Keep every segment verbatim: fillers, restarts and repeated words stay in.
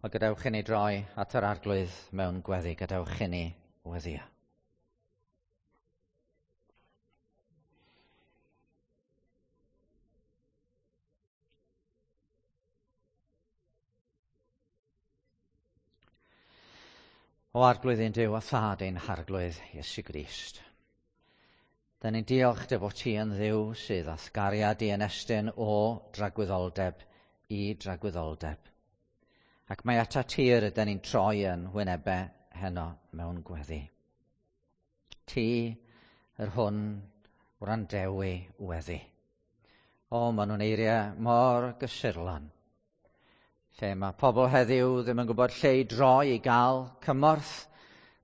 Wel, gadewch i ni droi at yr Arglwydd mewn gweddi. Gadewch i ni weddïo. O Arglwydd ein Duw a Thad ein Harglwydd Iesu Grist. Da ni'n diolch dy fod ti yn Dduw sydd â'th gariad i yn estyn o dragwyddoldeb i dragwyddoldeb. Ac mae ata tir ydyn ni'n troi yn wynebau heno mewn gweddi. Ti yr hwn wrandewi weddi. O, maen nhw'n eiriau mor gysurlon. Lle mae pobl heddiw ddim yn gwybod lle i droi i gael cymorth,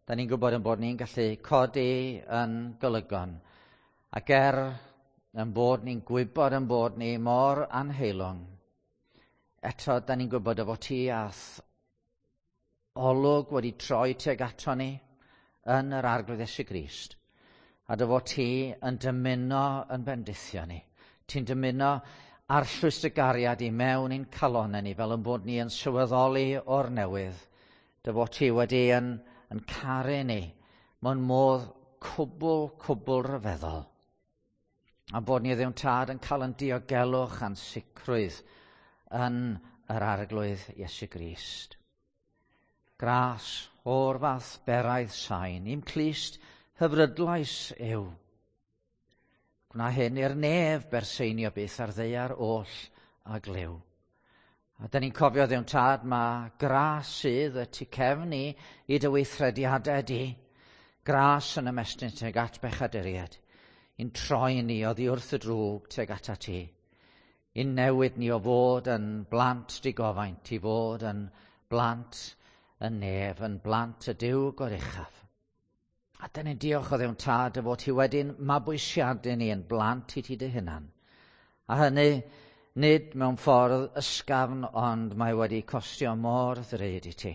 da ni'n gwybod yn bod ni'n gallu codi yn golygon. Ac er yn bod ni'n gwybod yn bod ni mor anheilwng, eto da ni'n gwybod y fod ti a'th olwg wedi troi tuag ato ni yn yr Arglwydd Iesu Grist. A dy fod ti yn dymuno yn bendithio ni. Ti'n dymuno arllwys dy gariad i mewn i'n calonnau ni fel yn bod ni yn sylweddoli o'r newydd. Dy fod ti wedi yn, yn caru ni mewn modd cwbl, cwbl rhyfeddol. A bod ni ddim Tad yn cael yn diogelwch a'n sicrwydd yn yr Arglwydd Iesu Grist. Gras o'r fath beraidd sain, i'm clust hyfrydlais yw. Gwna hyn i'r nef berseinio byth ar ddaear oll a glyw. A da ni'n cofio ddiwn Tad, mae gras sydd y tu cefn i i dy weithrediadau di. Gras yn ymestyn tuag at bechaduriaid, i'n troi ni oddi wrth y drwg tuag ata ti. I'n newid ni o fod yn blant digofaint, i fod yn blant y nef, yn blant y Duw goruchaf. A dyn ni'n diolch o Dduw'n Tad y fod ti wedi'n mabwysiadu ni yn blant i ti dy hunan. A hynny nid mewn ffordd ysgafn, ond mae wedi costio mor ddrud i ti.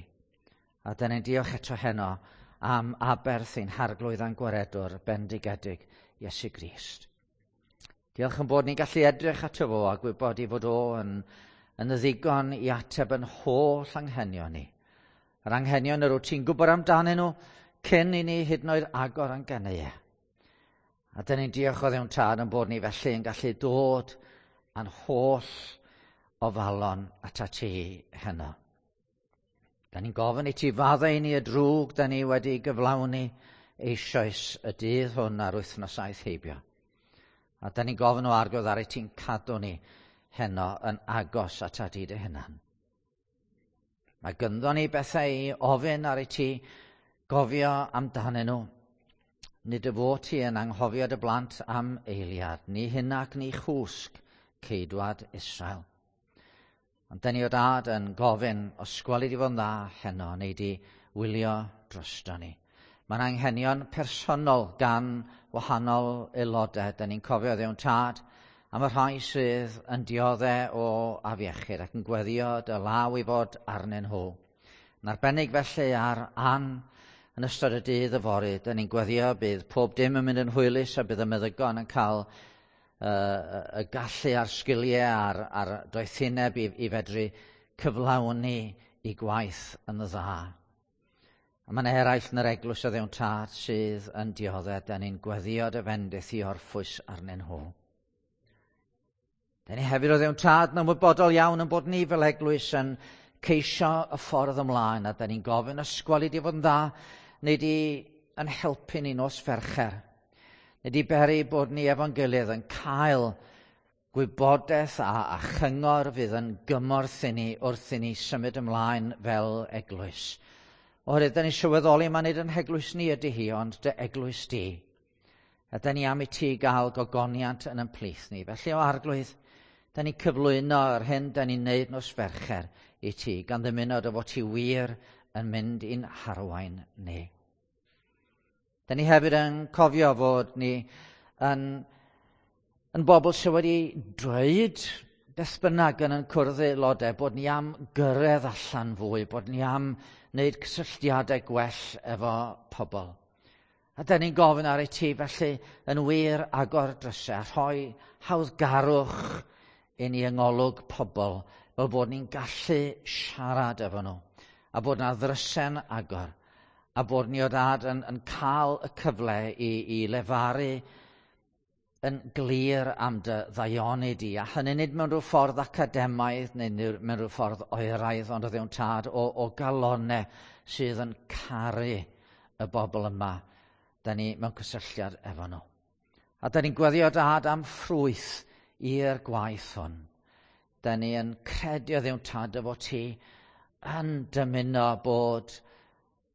A dyn ni'n diolch eto heno am aberth ein Harglwydd a'n Gwaredwr bendigedig Iesu Grist. Diolch yn bod ni'n gallu edrych ato fo a gwybod i fod o yn, yn ddigon i ateb yn holl anghenion ni. Yr anghenion yr wyt ti'n gwybod amdanyn nhw cyn i ni hyd yn oed agor a'n gennau. A dyn ni'n diolch o Dduw'n Tad yn bod ni felly yn gallu dod a'n holl ofalon ata ti heno. Da ni'n gofyn i ti faddau i ni y drwg da ni wedi gyflawni eisoes y dydd hwn a'r wythnos aeth heibio. A da ni'n gofyn o Arglwydd ar i ti'n cadw ni heno yn agos ata ti dy hunan. Mae gynddo ni bethau i ofyn ar i ti gofio amdanyn nhw. Nid y fod ti yn anghofio dy blant am eiliad, ni hyn ac ni chwsg ceidwad Israel. Ond da ni o Dad yn gofyn, os gweli di fod yn dda heno, neu di wylio drosto ni. Mae'n anghenion personol gan wahanol aelodau. Da ni'n cofio Dduw'n Tad am y rhai sydd yn dioddef o afiechyd ac yn gweddio dy law i fod arnyn nhw. Yn arbennig felly ar Ann yn ystod y dydd yfory, da ni'n gweddio bydd pob dim yn mynd yn hwylus a bydd y meddygon yn cael uh, y gallu a'r sgiliau a'r, a'r doethineb i, i fedru cyflawni i gwaith yn y dda. A mae'n eraill yn yr eglwys o Dduw'n Tad sydd yn dioddef, da ni'n gweddio dy fendith i orffwys arnyn nhw. Da ni hefyd o Dduw'n Tad yn ymwybodol iawn yn bod ni fel eglwys yn ceisio y ffordd ymlaen, a da ni'n gofyn ysgweli di fod yn dda, neu di yn helpu ni nos Fercher. Neu di beri bod ni efo'n gilydd yn cael gwybodaeth a, a chyngor fydd yn gymorth i ni wrth i ni symud ymlaen fel eglwys. Oherwydd, da ni'n sylweddoli mae nid yn heglwys ni ydy hi, ond dy eglwys di. A da ni am i ti gael gogoniant yn ein plith ni. Felly o Arglwydd, da ni'n cyflwyno yr hyn da ni'n neud nos Fercher i ti, gan ddymuno dy fod ti wir yn mynd i'n harwain ni. Da ni hefyd yn cofio fod ni yn, yn bobl sydd wedi dweud beth bynnag yn yn cwrdd aelodau, bod ni am gyrraedd allan fwy, bod ni am wneud cysylltiadau gwell efo pobl. A da ni'n gofyn ar i ti felly yn wir agor drysau, rhoi hawddgarwch i ni yng ngolwg pobl, fel bod ni'n gallu siarad efo nhw. A bod na ddrysen agor, a bod ni o dad yn, yn cael y cyfle i, i lefaru yn glir am dy ddaioni di, a hynny nid mewn rhyw ffordd academaidd neu mewn rhyw ffordd oeraidd, ond o ddewn tad o, o galonau sydd yn caru y bobl yma. Da ni mewn cysylltiad efo nhw. A da ni'n gweddio dad am ffrwyth i'r gwaith hwn. Da ni yn credu o ddewn tad efo ti yn dymuno bod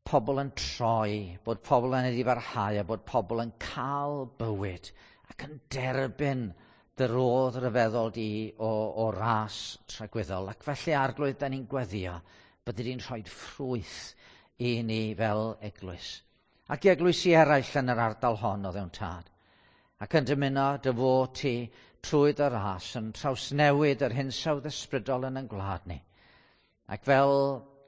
pobl yn troi, bod pobl yn edifarhau a bod pobl yn cael bywyd ac yn derbyn dy rodd ryfeddol di o, o ras tragwyddol. Ac felly arglwydd, da ni'n gweddio byddi di'n rhoi ffrwyth i ni fel eglwys. Ac i eglwysi eraill yn yr ardal hon o ddewn tad. Ac yn dymuno dy fod ti trwy dy ras yn trawsnewid yr hinsawdd ysbrydol yn ein gwlad ni. Ac fel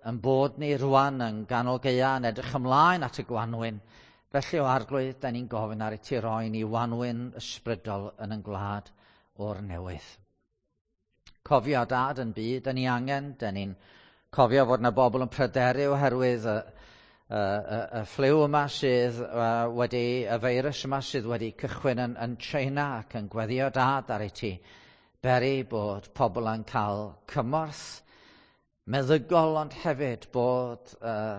yn bod ni rwan yn ganol gaea yn edrych ymlaen at y gwanwyn, felly o arglwydd, da ni'n gofyn ar i ti roi ni wanwyn ysbrydol yn ein gwlad o'r newydd. Cofio dad yn byd, da ni angen, da ni'n cofio fod yna bobl yn pryderu oherwydd y, y, y, y ffliw yma sydd uh, wedi, y feirws yma sydd wedi cychwyn yn, yn China ac yn gweddio dad ar i ti beri bod pobl yn cael cymorth meddygol, ond hefyd bod uh,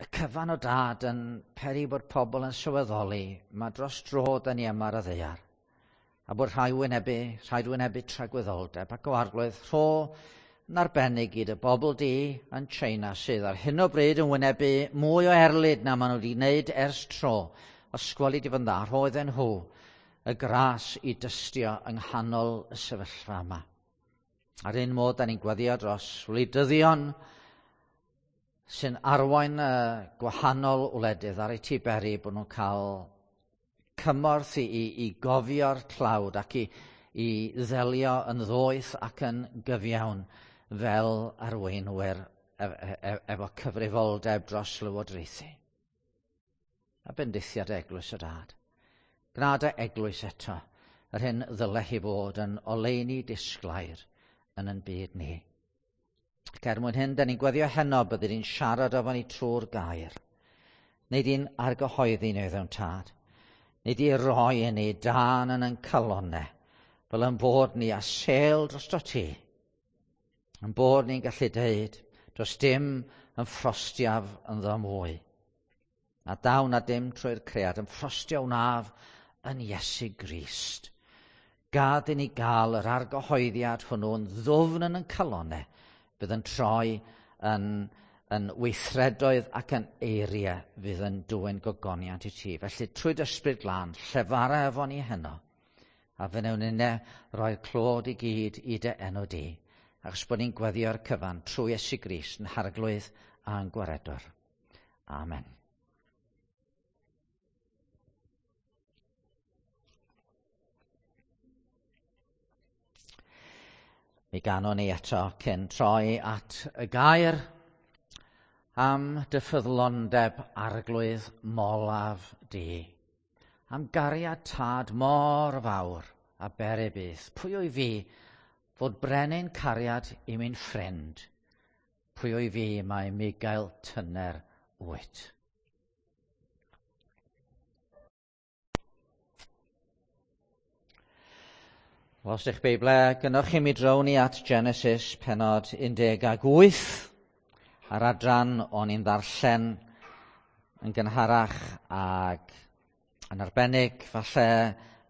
y cyfan o dad yn peri bod pobl yn sylweddoli mae dros dro da ni yma ar y ddaear a bod rhai wynebu, rhaid wynebu tragwyddoldeb ac o arglwydd rho yn arbennig i dy bobl di yn China sydd ar hyn o bryd yn wynebu mwy o erlid na maen nhw wedi wneud ers tro. Os gweli di fy dda, rho iddyn nhw y gras i dystio yng nghanol y sefyllfa yma. Ar un modd, da ni'n gweddio dros wleidyddion sy'n arwain y gwahanol wledydd ar eu ti beri bod nhw'n cael cymorth i, i, i gofio'r tlawd ac i, i ddelio yn ddoeth ac yn gyfiawn fel arweinwyr efo cyfrifoldeb dros lywodraethu. A bendithiad eglwys y dad. Gwna dy eglwys eto, yr hyn ddyle hi fod yn oleuni disglair yn yn byd ni. Ac er mwyn hyn, da ni'n gweddio heno byddi di'n siarad efo ni trwy'r gair. Neu di'n argyhoeddi ni ddewn tad. Neu di roi i ni dan yn ein calonnau, fel yn bod ni a sêl drosto ti. Yn bod ni'n gallu deud, does dim yn ffrostiaf ynddo mwy. Na daw na dim trwy'r cread, yn ffrostio wnaf yn Iesu Grist. Gad i ni gael yr argyhoeddiad hwnnw'n ddwfn yn ein calonnau, bydd yn troi yn, yn weithredoedd ac yn eiriau fydd yn dwyn gogoniant i ti. Felly trwy dy ysbryd glân, llefara efo ni heno, a fe wnawn ninne roi'r clod i gyd i dy enw di, achos bod ni'n gweddio'r cyfan trwy Iesu Grist yn harglwydd a'n gwaredwr. Amen. Mi ganon ni eto cyn troi at y gair am dy ffyddlondeb arglwydd molaf di. Am gariad tad mor fawr a beri byth. Pwy o'i fi fod brenin cariad i mi'n ffrind? Pwy o'i fi mae migael tyner wyt? Wel, os ydych Beible, gynnwch chi mi drown ni at Genesis penod un deg wyth a'r adran o'n i'n ddarllen yn gynharach ac yn arbennig falle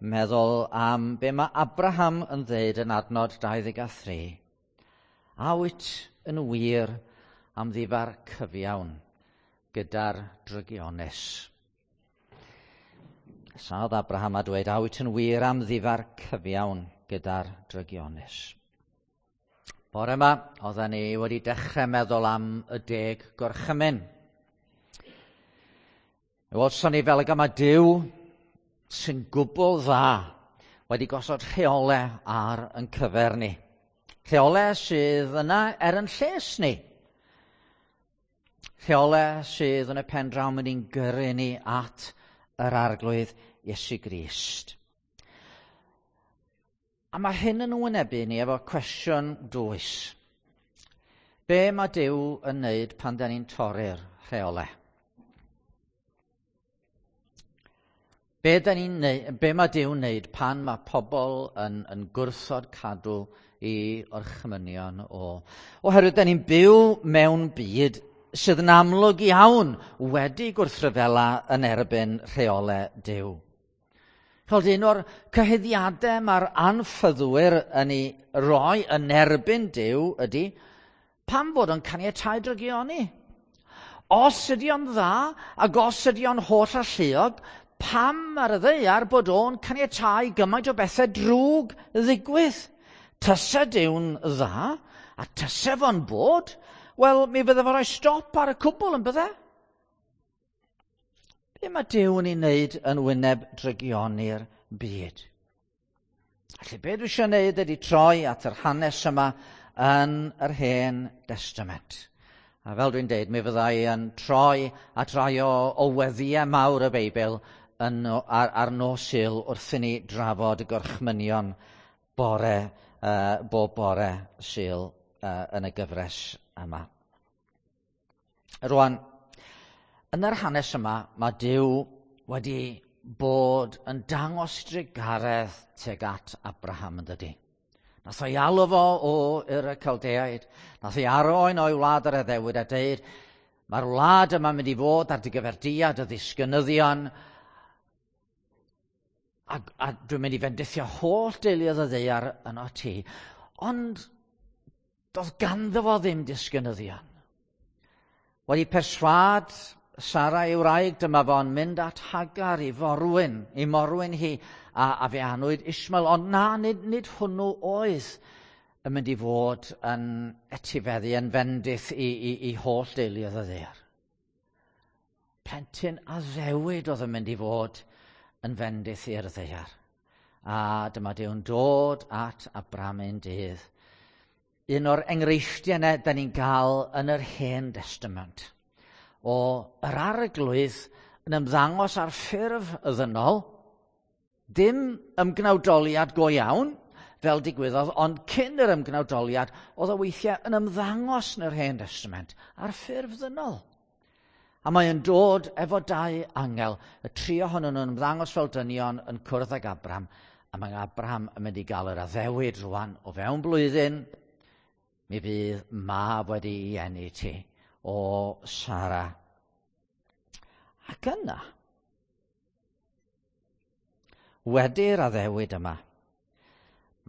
meddwl am be mae Abraham yn ddeud yn adnod dau ddeg a thri. A wyt yn wir am ddifar cyfiawn gyda'r drygionus? Saodd Abraham a dweud, a wyt yn wir am ddifar cyfiawn gyda'r drygionus? Bore yma, oedden ni wedi dechrau meddwl am y deg gorchymyn. Mi welson ni fel y gama Duw sy'n gwbl dda wedi gosod rheolau ar yn cyfer ni. Rheolau sydd yna er yn lles ni. Rheolau sydd yn y pen draw mynd i'n gyrru ni at yr arglwydd Iesu Grist. A mae hyn yn wynebu ni efo cwestiwn dwys. Be mae Duw yn wneud pan da ni'n torri'r rheolau? Be, da ni'n neud, be mae Duw'n wneud pan mae pobl yn, yn gwrthod cadw i orchmynion o? Oherwydd da ni'n byw mewn byd sydd yn amlwg iawn wedi gwrthryfela yn erbyn rheolau Duw. Chod, un o'r cyhuddiadau mae'r anffyddwyr yn ei roi yn erbyn Duw ydy pam bod o'n caniatáu drygioni? Os ydy o'n dda ac os ydy o'n holl alluog, pam ar y ddaear bod o'n caniatáu gymaint o bethau drwg ddigwydd? Tysa Duw'n dda a tysa fo'n bod, wel, mi fydde fo rhoi stop ar y cwbl yn bydde? Be mae Duw yn ei wneud yn wyneb drygioni'r byd? Felly, be dwi eisiau wneud ydy troi at yr hanes yma yn yr Hen Destament. A fel dwi'n deud, mi fydda i yn troi at rai o, o weddïau mawr y Beibl yn, ar, ar nos Sul wrth i ni drafod y gorchmynion bore, uh, bob bore Sul uh, yn y gyfres yma. Rwan, yn yr hanes yma, mae Duw wedi bod yn dangos drugaredd tuag at Abraham yn dydi. Nath o'i alw fo o Ur y Caldeaid, nath ei arwain o'i wlad yr addewid a deud, mae'r wlad yma'n mynd i fod ar dy gyfer di a dy ddisgynyddion, a, a dwi'n mynd i fendithio holl deuluoedd y ddaear yno ti. Ond doedd ganddo fo ddim disgynyddion. Wedi perswâd Sara ei wraig, dyma fo'n mynd at Hagar i forwyn, i morwyn hi, a, a fe anwyd Ismael. Ond na, nid, nid hwnnw oedd yn mynd i fod yn etifeddu, yn fendith i, i, i holl deuluoedd y ddaear. Plentyn addewid oedd yn mynd i fod yn fendith i'r ddaear. A dyma Duw'n dod at Abraham un dydd. Un o'r enghreifftiau yna da ni'n gael yn yr Hen Destament o yr Arglwydd yn ymddangos ar ffurf y ddynol, dim ymgnawdoliad go iawn, fel digwyddodd, ond cyn yr ymgnawdoliad, oedd o weithiau yn ymddangos yn yr Hen Destament ar ffurf ddynol. A mae yn dod efo dau angel, y tri ohonyn nhw'n ymddangos fel dynion yn cwrdd ag Abraham, a mae Abraham yn mynd i gael yr addewid rwan o fewn blwyddyn, mi fydd mab wedi ei eni ti o Sara. Ac yna, wedi'r addewid yma,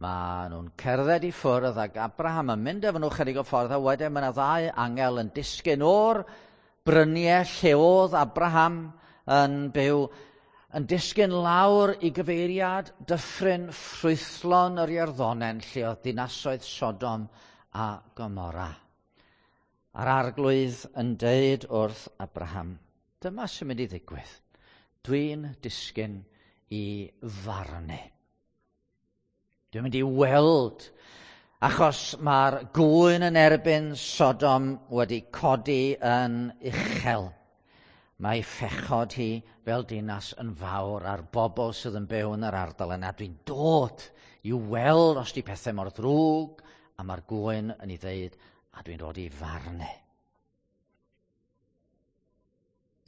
mae nhw'n cerdded i ffwrdd ac Abraham yn mynd efo nhw chydig o ffordd, a wedyn mae yna ddau angel yn disgyn o'r bryniau lle oedd Abraham yn byw, yn disgyn lawr i gyfeiriad dyffryn ffrwythlon yr Iorddonen lle oedd dinasoedd Sodom a Gomorra. A'r Arglwydd yn deud wrth Abraham, dyma sy'n mynd i ddigwydd. Dwi'n disgyn i farnu. Dwi'n mynd i weld, achos mae'r gŵyn yn erbyn Sodom wedi codi yn uchel. Mae phechod hi fel dinas yn fawr a'r bobl sydd yn byw yn yr ardal yna. Dwi'n dod i weld os di pethau mor ddrwg, a mae'r gŵyn yn ei ddeud, a dwi'n dod i farnu.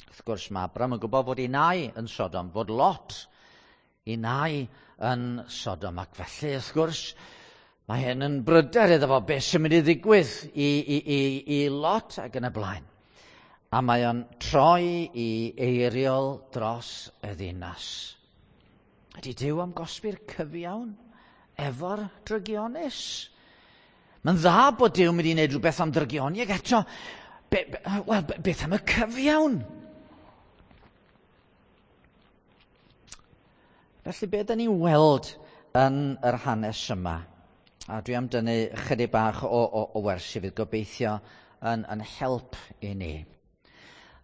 Wrth gwrs, mae Abraham yn gwybod fod ei nai yn Sodom, fod Lot ei nai yn Sodom, ac felly, wrth gwrs, mae hyn yn bryder iddo fo, beth sy'n mynd i ddigwydd i, i, i, i Lot ac yn y blaen. A mae o'n troi i eiriol dros y ddinas. Ydy Duw am gosbi'r cyfiawn efo'r drygionus? Mae'n dda bod Duw mynd i wneud rhywbeth am drygioni, ac eto, be, be, wel, be, beth am y cyfiawn? Felly, be da ni'n weld yn yr hanes yma? A dwi am dynnu chydig bach o, o, o wersi fydd gobeithio yn, yn help i ni.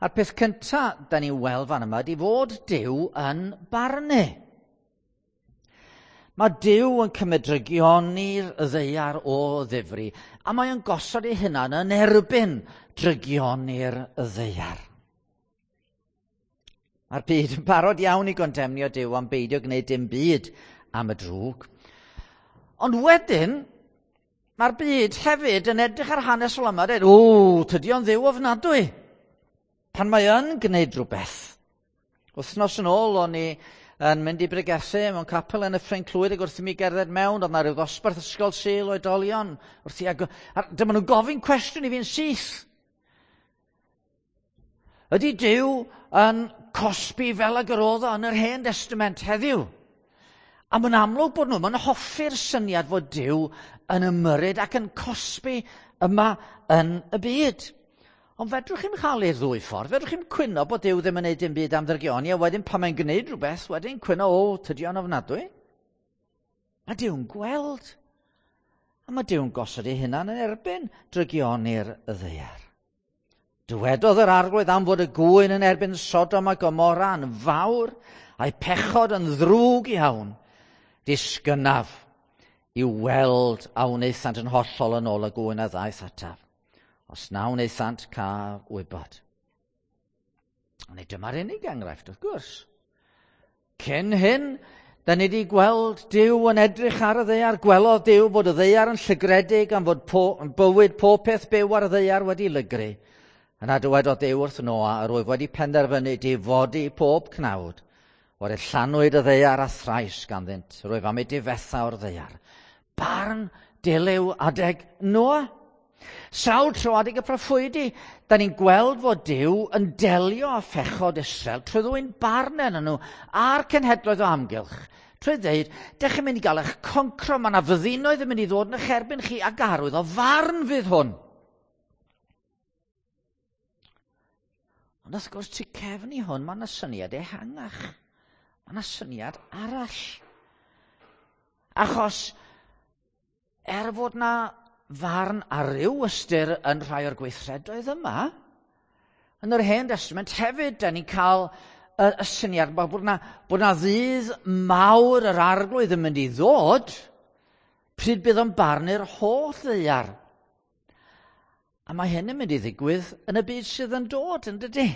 A'r peth cyntaf da ni'n weld fan yma ydy fod Duw yn barnu. Mae Duw yn cymryd drygioni'r ddaear o ddifri, a mae o'n gosod ei hunan yn erbyn drygioni'r ddaear. Mae'r byd yn barod iawn i gondemnio Duw am beidio gwneud dim byd am y drwg. Ond wedyn, Mae'r byd hefyd yn edrych ar hanes fel yma a dweud, o, tydi o'n ddiw ofnadwy. Pan mae yn gwneud rhywbeth. Wythnos yn ôl, o'n i yn mynd i bregethu mewn capel yn y Ffrainc Clwyd ac wrth i mi gerdded mewn, oedd na rhyw ddosbarth ysgol Sul oedolion. Wrth i, ag, a dyma nhw'n gofyn cwestiwn i fi'n syth. Ydy Duw yn cosbi fel ag yr oedd o yn yr Hen Testament heddiw? A mae'n amlwg bod nhw, mae'n hoffi'r syniad fod Duw yn ymyrryd ac yn cosbi yma yn y byd. Ond fedrwch chi'm chael i'r ddwy ffordd. Fedrwch chi'm cwyno bod Duw ddim yn gwneud dim byd am ddrygioni, a wedyn pan mae'n gwneud rhywbeth, wedyn cwyno, o, tydi o'n ofnadwy. Mae Duw'n gweld. A mae Duw'n gosod ei hunan yn erbyn drygioni'r ddaear. Dywedodd yr Arglwydd am fod y gŵyn yn erbyn Sodom a Gomorra yn fawr, a'i pechod yn ddrwg iawn. Disgynnaf i weld a wnaethant yn hollol yn ôl y gŵyn a ddaeth ataf. Os na wnaethant, caf wybod. Ond dyma'r unig enghraifft, wrth gwrs. Cyn hyn, da ni wedi gweld Duw yn edrych ar y ddaear. Gwelodd Duw fod y ddaear yn llygredig am fod po, bywyd pob peth byw ar y ddaear wedi lygru. Yna dywedodd Duw wrth Noa, yr wyf wedi penderfynu difodi pob cnawd. O'r llanwyd y ddaear a thrais ganddynt, rwyf am ei difetha o'r ddaear. Barn dilyw adeg Noa. Sawl tro adeg y proffwydi, da ni'n gweld fod Duw yn delio â phechod Israel trwy ddwyn barn arnyn nhw a'r cenhedloedd o amgylch. Trwy ddeud, dech chi'n mynd i gael eich concro, mae yna fyddinoedd yn mynd i ddod yn eich erbyn chi ac arwydd o farn fydd hwn. Ond wrth gwrs, tu cefn i hwn, mae yna syniad ehangach. Mae yna syniad arall. Achos, er fod na farn ar ryw ystyr yn rhai o'r gweithredoedd yma, yn yr Hen Testament hefyd, da ni'n cael y, y syniad bod na, bod na ddydd mawr yr Arglwydd yn mynd i ddod, pryd bydd o'n barnu'r holl ddaear. A mae hyn yn mynd i ddigwydd yn y byd sydd yn dod, yn dydy?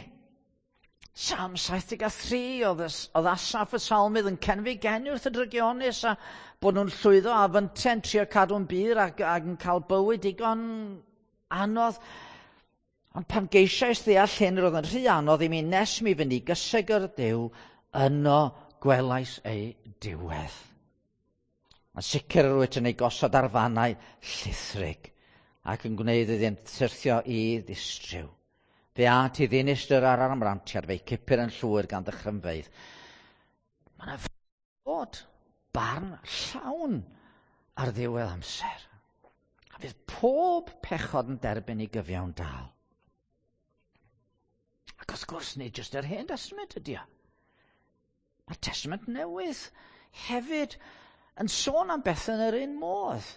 Salm saith deg a thri, oedd, oedd Asaph y salmydd yn cenfigenu wrth y drygionus a bod nhw'n llwyddo a fynte'n trio cadw'n bur ac, ac yn cael bywyd digon anodd. Ond pan geisiais ddeall hyn, roedd yn rhy anodd i mi nes mi fynd i gysegr Duw, yno gwelais ei diwedd. Yn sicr yr wyt yn ei gosod ar fannau llithrig ac yn gwneud iddynt syrthio i ddistryw. Fe at i ddinistr ar amrantiad, fe'i cipir yn llwyr gan ddychrynfeydd. Mae yna fod barn llawn ar ddiwedd amser. A fydd pob pechod yn derbyn ei gyfiawn dal. Ac wrth gwrs, nid jyst yr Hen Testament ydy o. Mae'r Testament Newydd hefyd yn sôn am bethau yn yr un modd.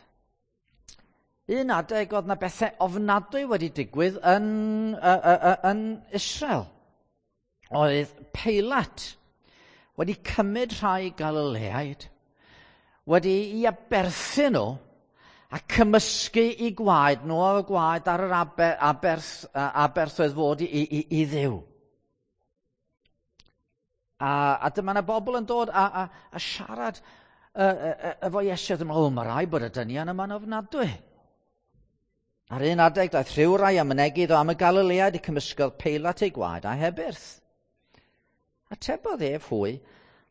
Un adeg oedd na bethau ofnadwy wedi digwydd yn, uh, uh, uh, yn Israel. Oedd Peilat wedi cymryd rhai Galileaid, wedi i aberthu nhw a cymysgu i gwaed nhw o'r gwaed ar yr aber, aberth, aberth oedd fod i, i, i Dduw. A, a dyma na bobl yn dod a, a, a siarad efo Iesu, oedd yn meddwl, o, mae rai bod y dynion yma'n ofnadwy. Ar un adeg daeth rhywrai a mynegi iddo am y Galileaid y cymysgodd Peilat ei gwaed a hebyrth. Atebodd ef hwy,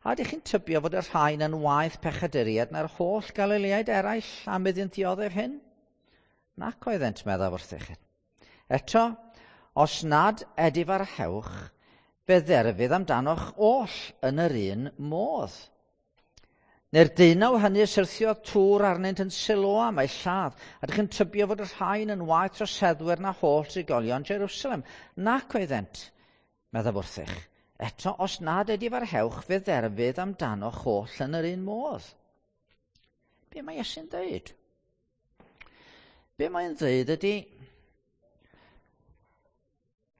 a ydych chi'n tybio fod y rhain yn waeth pechaduriaid na'r holl Galileaid eraill am iddynt ddioddef hyn? Nac oeddent, meddaf wrthych. Eto, os nad edifarhewch, fe dderfydd amdanoch oll yn yr un modd. Neu'r deunaw hynny syrthiodd tŵr arnynt yn Siloam a'i lladd, a ydych chi'n tybio fod y rhain yn waeth troseddwyr na holl drigolion Jerusalem? Nac oeddent, meddaf wrthych. Eto, os nad edifarhewch, fe dderfydd amdanoch holl yn yr un modd. Be mae Iesu'n dweud? Be mae'n dweud ydy,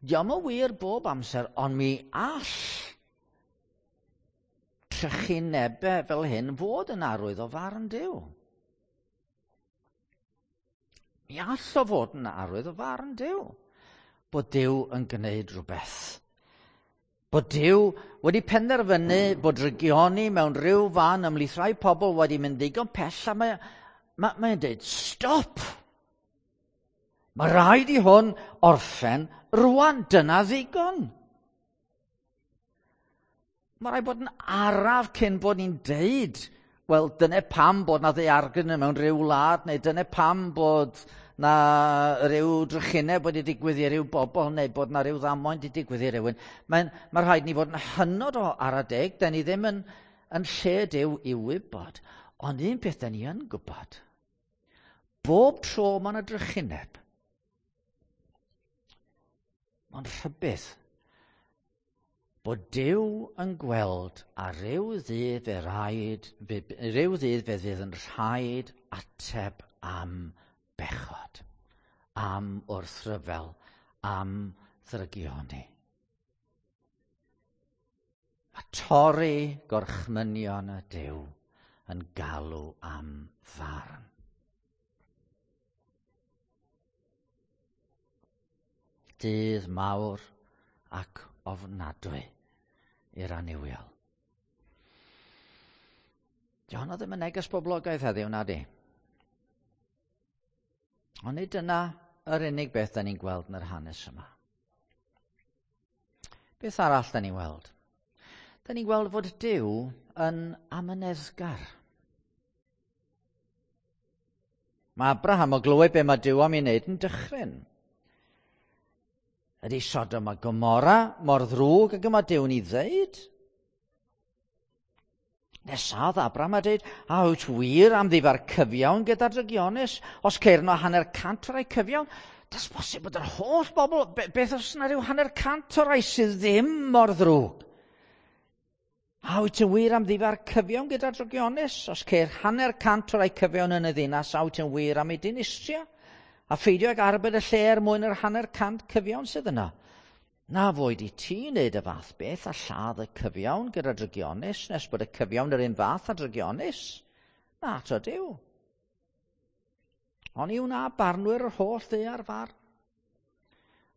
dio'm yn wir bob amser, ond mi all trychinebau fel hyn fod yn arwydd o farn Duw. Mi all o fod yn arwydd o farn Duw. Bod Duw yn gwneud rhywbeth. Bod Duw wedi penderfynu bod drygioni mewn rhyw fan ymhlith rhai pobl wedi mynd ddigon pell a mae, Mae, mae'n dweud, stop! Mae rhaid i hwn orffen rwan, dyna ddigon. Mae rhaid bod yn araf cyn bod ni'n deud, wel, dyna pam bod na ddaeargryn mewn rhyw wlad, neu dyna pam bod na rhyw drychineb wedi digwydd i ryw bobl, neu bod na rhyw ddamwain wedi digwydd i rywun. Mae'n, mae rhaid ni fod yn hynod o ara deg, da ni ddim yn, yn lle Duw i wybod. Ond un peth da ni yn gwybod, bob tro mae yna drychineb, mae'n rhybudd bod Duw yn gweld a rhyw ddydd fe raid, rhyw ddydd fe fydd yn rhaid ateb am bechod, am wrthryfel, am ddrygioni. Mae torri gorchmynion y Duw yn galw am farn. Dydd mawr ac ofnadwy i'r annuwiol. Di honno ddim yn neges boblogaidd heddiw, na di? Ond nid dyna yr unig beth da ni'n gweld yn yr hanes yma. Beth arall da ni'n weld? Da ni'n gweld fod Duw yn amyneddgar. Mae Abraham o glywed be mae Duw am ei wneud yn dychryn. Ydy Sodom a Gomorra mor ddrwg ag y mae Duw'n ei ddeud? Nesaf Abraham a dweud, a wyt wir am ddifa'r cyfiawn gyda drygionus? Os ceir yno hanner cant o rai cyfiawn, does bosib bod yr holl bobl, beth os yna rhyw hanner cant o rai sydd ddim mor ddrwg? A wyt yn wir am ddifa'r cyfiawn gyda drygionus? Os ceir hanner cant o rai cyfiawn yn y ddinas, a wyt yn wir am ei dinistrio? A pheidio ag arbed y lle er mwyn yr hanner cant cyfiawn sydd yna. Na fwyd i ti wneud y fath beth a lladd y cyfiawn gyda drygionus nes bod y cyfiawn yr un fath a drygionus. Na to Duw. Oni wna barnwyr yr holl ddaear farn.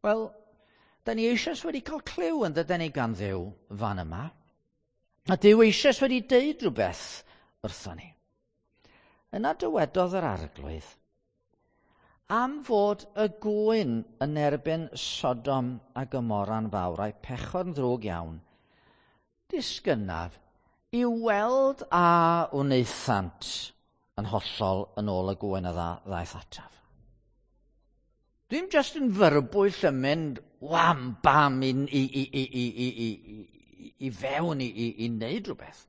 Wel, da ni eisoes wedi cael clyw yn dydyn ni gan Dduw fan yma. A Duw eisoes wedi deud rhywbeth wrthon ni. Yna dywedodd yr Arglwydd, am fod y gwyn yn erbyn Sodom a Gomora'n fawr a'i pechod yn ddrwg iawn, disgynnaf i weld a wnaethant yn hollol yn ôl y gwyn a ddaeth ataf. Dwi'n just yn fyrbwyll yn mynd wham bam i, i, i, i, i, i, i, i fewn i, i, i wneud rhywbeth.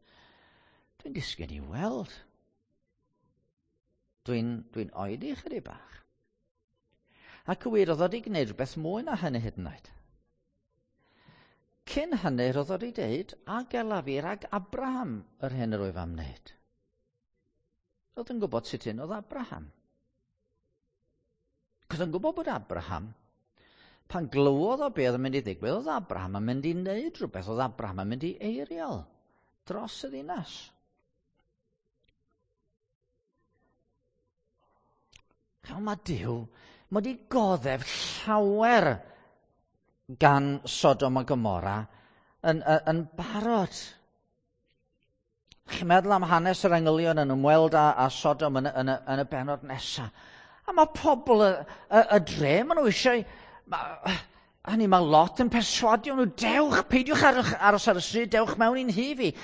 Dwi'n disgyn i weld. Dwi'n, dwi'n oedi chydig bach. Ac y wir, oedd o wedi gwneud rhywbeth mwy na hynny hyd yn oed. Cyn hynny, roedd o wedi deud, a gelaf fi rhag Abraham yr hyn yr wyf am wneud. Roedd yn gwybod sut un oedd Abraham. Oedd yn gwybod bod Abraham, pan glywodd o beth oedd yn mynd i ddigwydd, oedd Abraham yn mynd i wneud rhywbeth, oedd Abraham yn mynd i eiriol dros y ddinas. Chael mae Duw, mae wedi goddef llawer gan Sodom a Gomorra yn, yn, yn barod. Chi'n meddwl am hanes yr angylion yn ymweld â, â Sodom yn, yn, yn y bennod nesaf. A mae pobl y, y, y dre, maen nhw eisiau... Ma, hynny, mae lot yn perswadio nhw, dewch, peidiwch aros, aros ar y stryd, dewch mewn i'n nhŷ fi.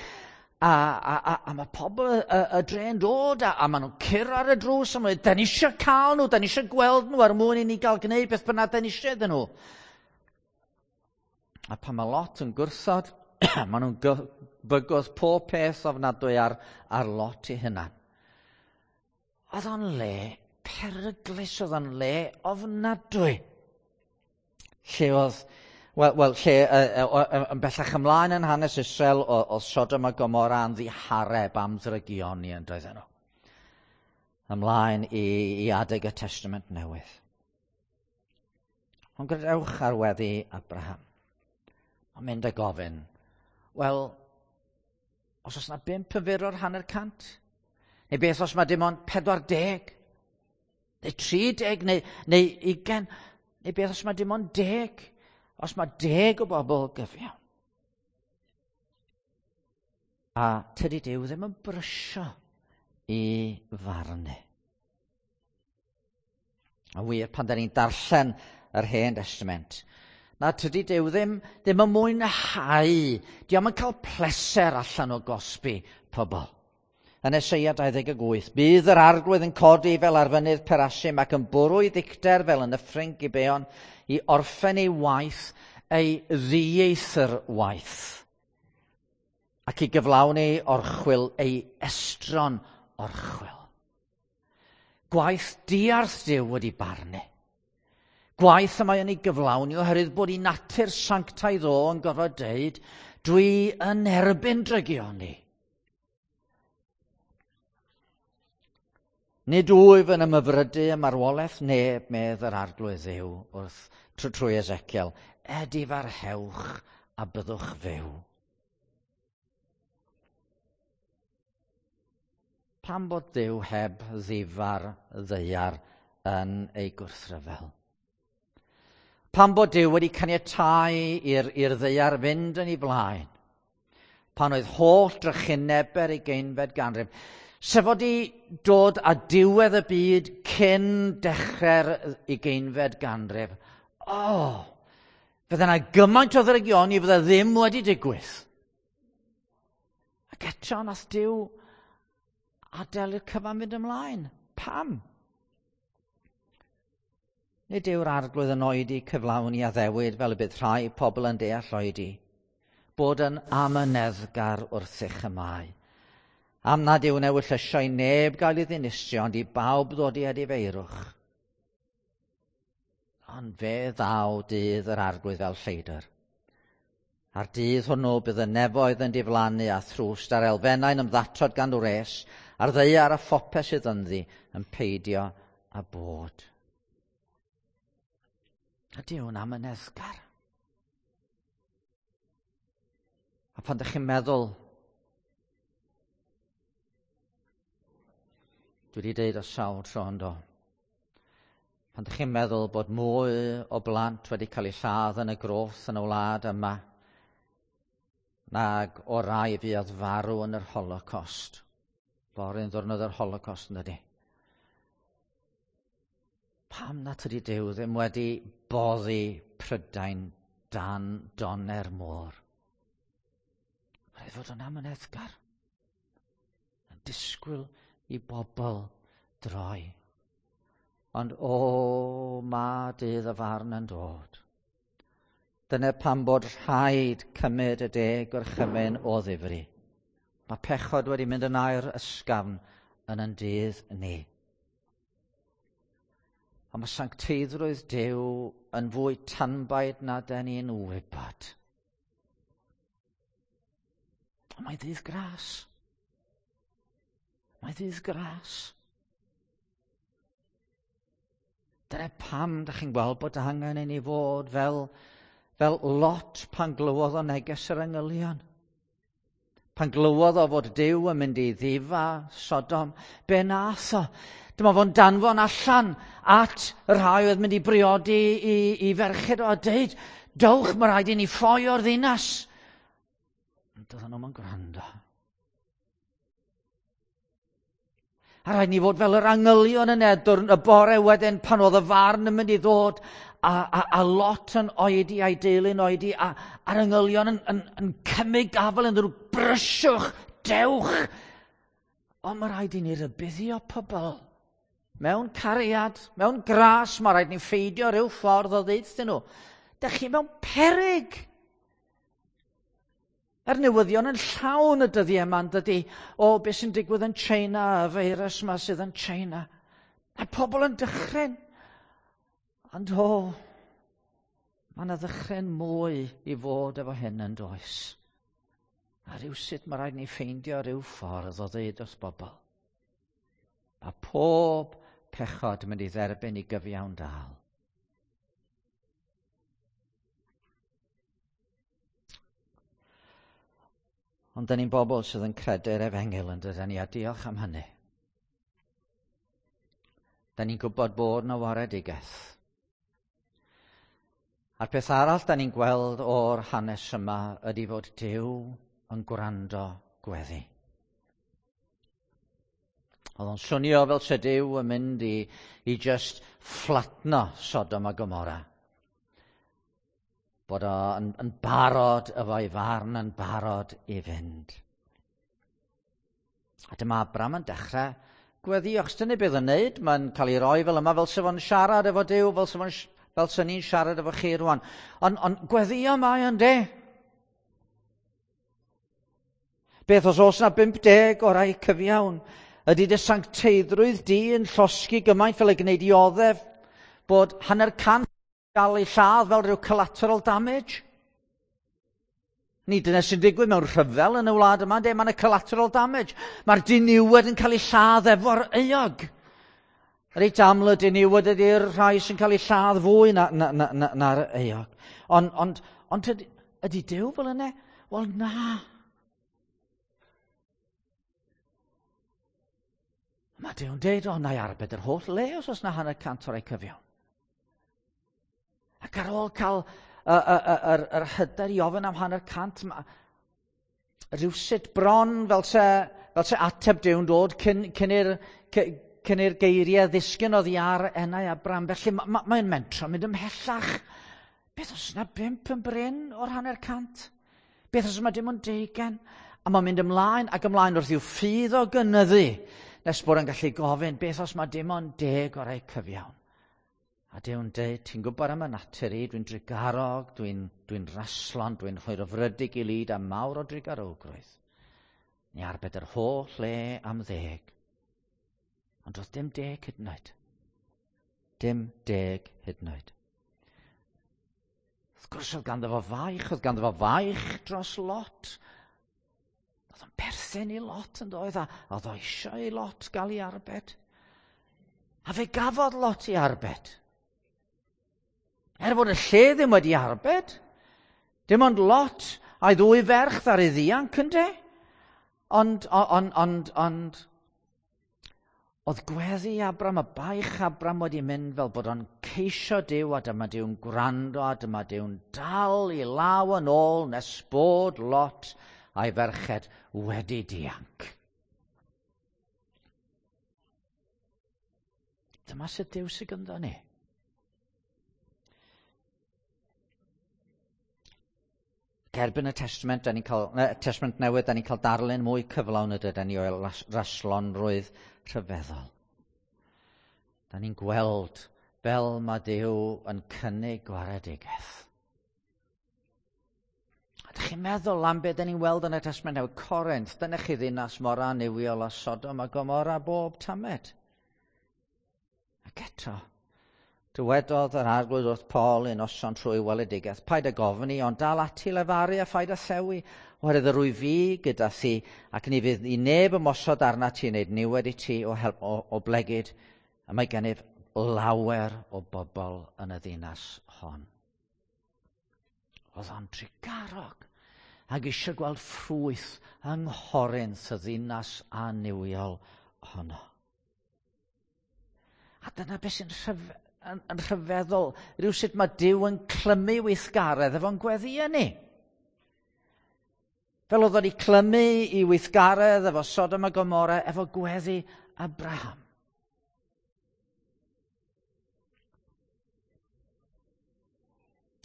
A, a, a, a mae pobl y, y, y dre yn dod, a, a maen nhw'n curo ar y drws, a maen nhw'n, da ni eisiau cael nhw, da ni eisiau gweld nhw er mwyn i ni gael gwneud beth bynnag da ni eisiau iddyn nhw. A pan mae Lot yn gwrthod, maen nhw'n bygwth pob peth ofnadwy ar, ar Lot ei hunan. Oedd o'n le peryglus, oedd o'n le ofnadwy. Lle oedd... Wel, well, lle uh, uh, yn bellach ymlaen yn hanes Israel, oedd Sodom a Gomorra yn ddihareb am ddrygioni yn doedden nhw. Ymlaen i, i adeg y Testament Newydd. Ond gradewch ar weddi Abraham. Mae'n mynd a gofyn, wel, os oes yna bump yn fyr o'r hanner cant? Neu beth os mae dim ond pedwar deg? Neu tri deg, neu, neu ugain? Neu beth os mae dim ond deg? Os mae deg o bobl gyfiawn. A tydi Duw ddim yn brysio i farnu. A wir, pan da ni'n darllen yr Hen Testament, na tydi Duw ddim, ddim yn mwynhau, dio'm yn cael pleser allan o gosbi pobl. Yn Eseia dau ddeg wyth, bydd yr Arglwydd yn codi fel ar fynydd Perasim ac yn bwrw ei ddicter fel yn nyffryn Gibeon i orffen ei waith, ei ddieithr waith, ac i gyflawni orchwyl ei estron orchwyl. Gwaith diarth Duw wedi barnu. Gwaith y mae yn ei gyflawni oherwydd bod ei natur sanctaidd o yn gorfod deud, dwi yn erbyn drygioni. Nid wyf yn ymhyfrydu ym marwolaeth neb, medd yr Arglwydd Dduw wrth trwy Ezekiel, edifarhewch a byddwch fyw. Pam bod Duw heb ddifar ddaear yn ei gwrthryfel? Pam bod Duw wedi caniatáu i'r, i'r ddaear fynd yn ei blaen? Pan oedd holl drychineb yr ugeinfed ganrif, sef wedi dod â diwedd y byd cyn dechrau'r ugeinfed ganrif. O, oh, fydde yna gymaint o ddrygioni fydde ddim wedi digwydd. Ac eto nath Duw adael i'r cyfan fynd ymlaen. Pam? Nid yw'r Arglwydd yn oedi cyflawni addewid fel y bydd rhai pobl yn deall oedi, bod yn amyneddgar wrthych y mae. Am nad yw'n ewyllysio i neb gael ei ddinistrio, ond i bawb ddod i edifeirwch. Ond fe ddaw dydd yr Arglwydd fel lleidr. A'r dydd hwnnw bydd y nefoedd yn diflannu a thrwst a'r elfennau'n ymddatod gan wres, a'r ddaear a phopeth sydd ynddi yn peidio â bod. A Duw'n amyneddgar. A pan ydych chi'n meddwl, dwi wedi deud o sawl tro yn do, pan ydych chi'n meddwl bod mwy o blant wedi cael eu lladd yn y groth yn y wlad yma nag o rai fuodd farw yn yr Holocaust. Fory'n ddiwrnod yr Holocaust yn dydi? Pam na tydi Duw ddim wedi boddi Prydain dan donner môr? Rhaid fod yn amyneddgar, yn disgwyl i bobl droi. Ond o, ma dydd y farn yn dod. Dyna pam bod rhaid cymryd y deg gorchymyn o ddifri. Mae pechod wedi mynd yn air ysgafn yn yn dydd ni. Ond mae sancteiddrwydd Duw yn fwy tanbaid na den ni'n wybod. Ond mae ddydd gras. Mae ddydd gras. Dyna pam da chi'n gweld bod angen i ni fod fel, fel Lot pan glywodd o neges yr angylion. Pan glywodd o fod Duw yn mynd i ddifa Sodom, be nath o? Dyma fo'n danfon allan at y rhai oedd mynd i briodi i, i ferched o a deud, dowch, mae rhaid i ni ffoi o'r ddinas. Ond doedden nhw'm yn gwrando. A rhaid ni fod fel yr angylion yn Edwrn y bore wedyn pan oedd y farn yn mynd i ddod a, a, a Lot yn oedi a'i deulu'n oedi a, a'r angylion yn, yn, yn cymryd gafael yn nhw, brysiwch, dewch. Ond mae rhaid i ni rybuddio pobl. Mewn cariad, mewn gras, mae rhaid ni ffeidio rhyw ffordd o ddeud nhw. Dych chi mewn peryg. Yr newyddion yn llawn y dyddiau yma, yn dydi, o beth sy'n digwydd yn China, y feirws yma sydd yn China. Mae pobl yn dychryn. Ond o, mae yna ddychryn mwy i fod efo hyn yn does. A rhywsut mae rhaid ni ffeindio rhyw ffordd o ddeud wrth bobl. Mae pob pechod yn mynd i dderbyn i gyfiawn dal. Ond dyn ni'n bobl sydd yn credu'r efengyl yn dydyn ni, a diolch am hynny. Dyn ni'n gwybod bod yna waredigaeth. A'r peth arall dyn ni'n gweld o'r hanes yma ydy fod Duw yn gwrando gweddi. Oedd o'n swnio fel se Duw yn mynd i, i just fflatno Sodom a Gomorra. Bod o'n yn barod efo'i farn, yn barod i fynd. A dyma Abram yn dechrau gweddio, achos dyna beth yn neud, mae'n cael ei roi fel yma, fel se fo'n siarad efo Duw, fel se fo'n fel se ni'n siarad efo chi rwan. Ond on, gweddio mae o'n de. Beth os oes na bump deg o rai cyfiawn? Ydy dy sancteiddrwydd di yn llosgi gymaint fel y gwneud i oddef bod hanner cant gael ei lladd fel rhyw collateral damage? Ni dyna sy'n digwydd mewn rhyfel yn y wlad yma, de, mae'n collateral damage. Mae'r diniwed yn cael ei lladd efo'r euog. Reit aml y diniwed ydy'r rhai sy'n cael ei lladd fwy na'r na, na, na, na euog. Ond on, ond ydy, ydy Duw fel yna? Wel na. Mae Duw'n deud, o, na i arbed yr holl le os oes na hanner cant o'r ei cyfiawn. Ac ar ôl cael yr, yr hyder i ofyn am hanner cant, ma, rhywsut bron fel se, fel se ateb Duw'n dod cyn, cyn i'r cyn i'r geiriau ddisgyn oddi ar enau Abram. Felly mae'n ma, ma mentro mynd ymhellach. Beth os yna bump yn brin o'r hanner cant? Beth os yma dim ond deugain? A mae'n mynd ymlaen ac ymlaen wrth i'w ffydd o gynyddu, nes bod yn gallu gofyn, beth os mae dim ond deg o'r ei cyfiawn? A Duw'n deud, ti'n gwybod am y natur i, dwi'n drugarog, dwi'n dwi raslon, dwi'n hwyrofrydig i lid a mawr o drugarogrwydd. Ni arbed yr holl le am ddeg. Ond doedd dim deg hyd yn oed. Dim deg hyd yn oed. Wrth gwrs oedd ganddo fo faich, oedd ganddo fo faich dros Lot. Oedd o'n perthyn i Lot yn doedd, a oedd o eisiau i Lot gael ei arbed. A fe gafodd Lot i arbed. Er fod y lle ddim wedi arbed, dim ond Lot a'i ddwy ferch ddaru ddianc ynde. Ond, ond, ond, ond, oedd gweddi Abram, a baich Abram wedi mynd fel bod o'n ceisio Duw, a dyma Duw'n gwrando, a dyma Duw'n dal i law yn ôl nes bod Lot a'i ferched wedi dianc. Dyma sut Duw sydd gyda ni. Erbyn y Testament, da ni'n cael, ne, Testament Newydd, da ni'n cael darlun mwy cyflawn ydyn ni o'i raslonrwydd rhyfeddol. Da ni'n gweld fel mae Duw yn cynnig gwaredigaeth. A dych chi'n meddwl am beth da ni'n weld yn y Testament Newydd? Corinth, dyna chi ddinas mor annuwiol a Sodom a Gomorra bob tamed. Ac eto, dywedodd yr Arglwydd wrth Paul un noson trwy weledigaeth, paid â gofni, ond dal ati lefaru a phaid â thewi, oherwydd yr wyf fi gyda thi, ac ni fydd i neb ymosod arna ti wneud niwed i ti o, help, o, o blegid, a mae gennyf lawer o bobl yn y ddinas hon. Oedd o'n trugarog ac eisiau gweld ffrwyth yng Nghorinth y ddinas annuwiol honno. A dyna beth sy'n rhyf, yn, yn rhyfeddol, rhywsut mae Duw yn clymu weithgaredd efo'n gweddïau ni. Fel oedd o'n clymu i weithgaredd efo Sodom a Gomorra, efo gweddi Abraham.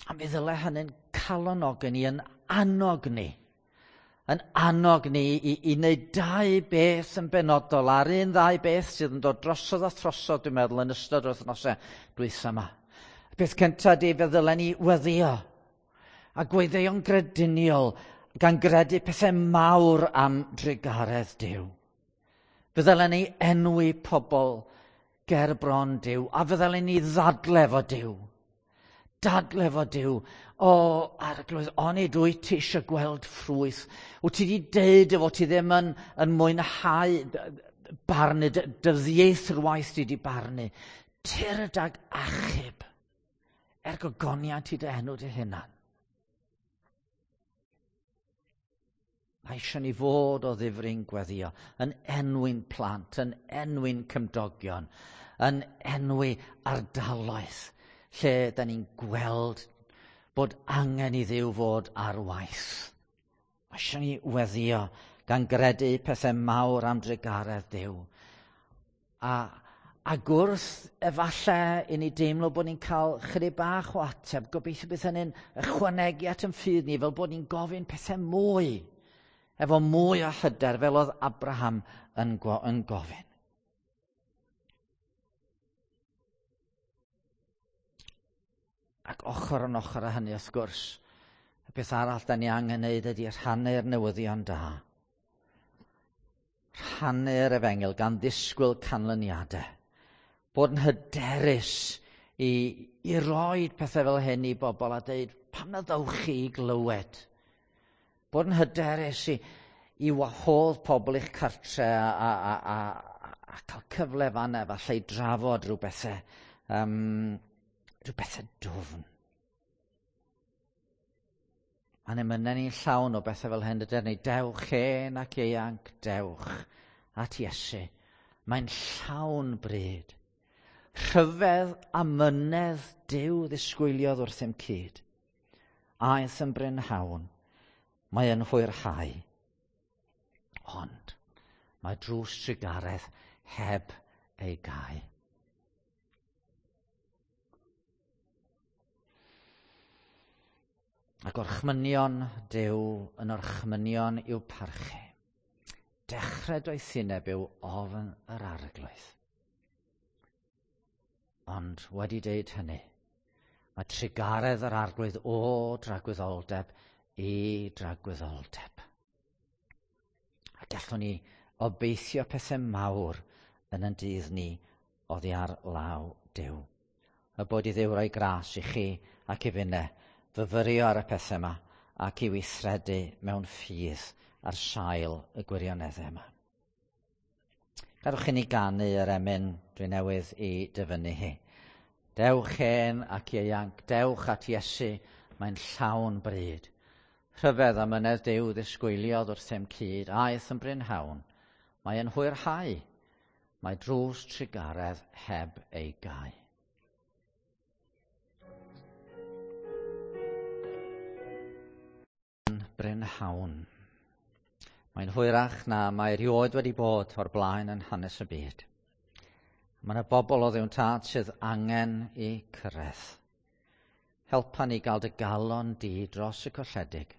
A mi ddyle hynny'n calonogi ni, yn annog ni, yn annog ni i, i wneud dau beth yn benodol, a'r un ddau beth sydd yn dod drosodd a throsodd, dwi'n meddwl, yn ystod yr wythnosau dwytha yma. Y peth cyntaf ydy, fe ddylen ni weddio, a gweddïo'n grediniol, gan gredu pethau mawr am drugaredd Duw. Fe ddylen ni enwi pobl ger bron Duw, a fe ddylen ni ddadle efo Duw. Dadle efo Duw. O, Arglwydd, onid wyt ti eisiau gweld ffrwyth? Wyt ti wedi deud efo ti ddim yn, yn mwynhau barnu, dy ddieithrwaith ti wedi barnu. Tyrd ag achub er gogoniant i dy enw dy hunan. Mae eisiau ni fod o ddifri'n gweddio, yn enwi'n plant, yn enwi'n cymdogion, yn enwi ardaloedd, lle da ni'n gweld bod angen i Dduw fod ar waith. Mae eisiau ni weddio gan gredu pethau mawr am drugaredd Duw. A, a gwrth efallai i ni deimlo bod ni'n cael chydig bach o ateb, gobeithio bydd hynny'n ychwanegu at yn ffydd ni, fel bod ni'n gofyn pethau mwy, efo mwy o hyder, fel oedd Abraham yn, go yn gofyn. Ac ochr yn ochr â hynny, wrth gwrs, y beth arall da ni angen wneud ydy rhannu'r newyddion da. Rhannu'r efengyl gan ddisgwyl canlyniadau. Bod yn hyderus i, i roi pethau fel hyn i bobl a dweud, pam na ddewch chi i glywed? Bod yn hyderus i, i wahodd pobl i'ch cartre a, a, a, a, a cael cyfle fanna efallai i drafod rhyw bethau. Um, rhyw bethau dwfn. Mae'n emynau ni'n llawn o bethau fel hyn, dydyn ni, dewch hen ac ieuanc, dewch at Iesu. Mae'n llawn bryd. Rhyfedd a mynedd Duw ddisgwyliodd wrthym cyd. Aeth yn brynhawn, mae yn hwyrhau. Ond mae drws trugaredd heb ei gau. A gorchmynion Duw yn orchmynion i'w parchu. Dechrau doethineb yw ofn yr arglwydd. Ond wedi deud hynny, mae trugaredd yr arglwydd o dragwyddoldeb i dragwyddoldeb. A gallwn ni obeithio pethau mawr yn yn dydd ni oddi ar law Duw. Y bod i Dduw roi gras i chi ac i finne fyfyrio ar y pethau yma ac i weithredu mewn ffydd ar sail y gwirioneddau yma. Gadwch i ni ganu yr emyn dwi newydd i dyfynnu hi. Dewch hen ac ieuanc, dewch at Iesu, mae'n llawn bryd. Rhyfedd am mynedd Duw ddisgwyliodd wrthym cyd, aeth yn brynhawn. Mae yn hwyrhau, mae drws trugaredd heb ei gau. Brynhawn. Mae'n hwyrach na mae erioed wedi bod o'r blaen yn hanes y byd. Mae yna bobl o Dduw'n Tad sydd angen i cyrraedd. Helpa ni gael dy galon di dros y colledig.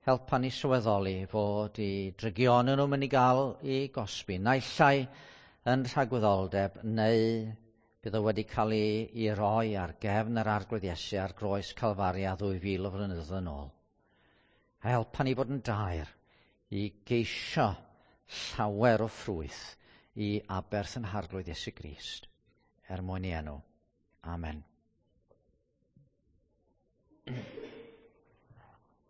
Helpa ni sylweddoli fod i drygion nhw'n mynd i gael i gosbi, naill ai yn rhagwyddoldeb neu bydd o wedi cael ei, ei roi ar gefn yr Arglwydd Iesu ar groes Calfaria ddwy fil o flynyddoedd yn ôl. A helpa ni fod yn daer i geisio llawer o ffrwyth i aberth yn Harglwydd Iesu Grist, er mwyn i enw. Amen.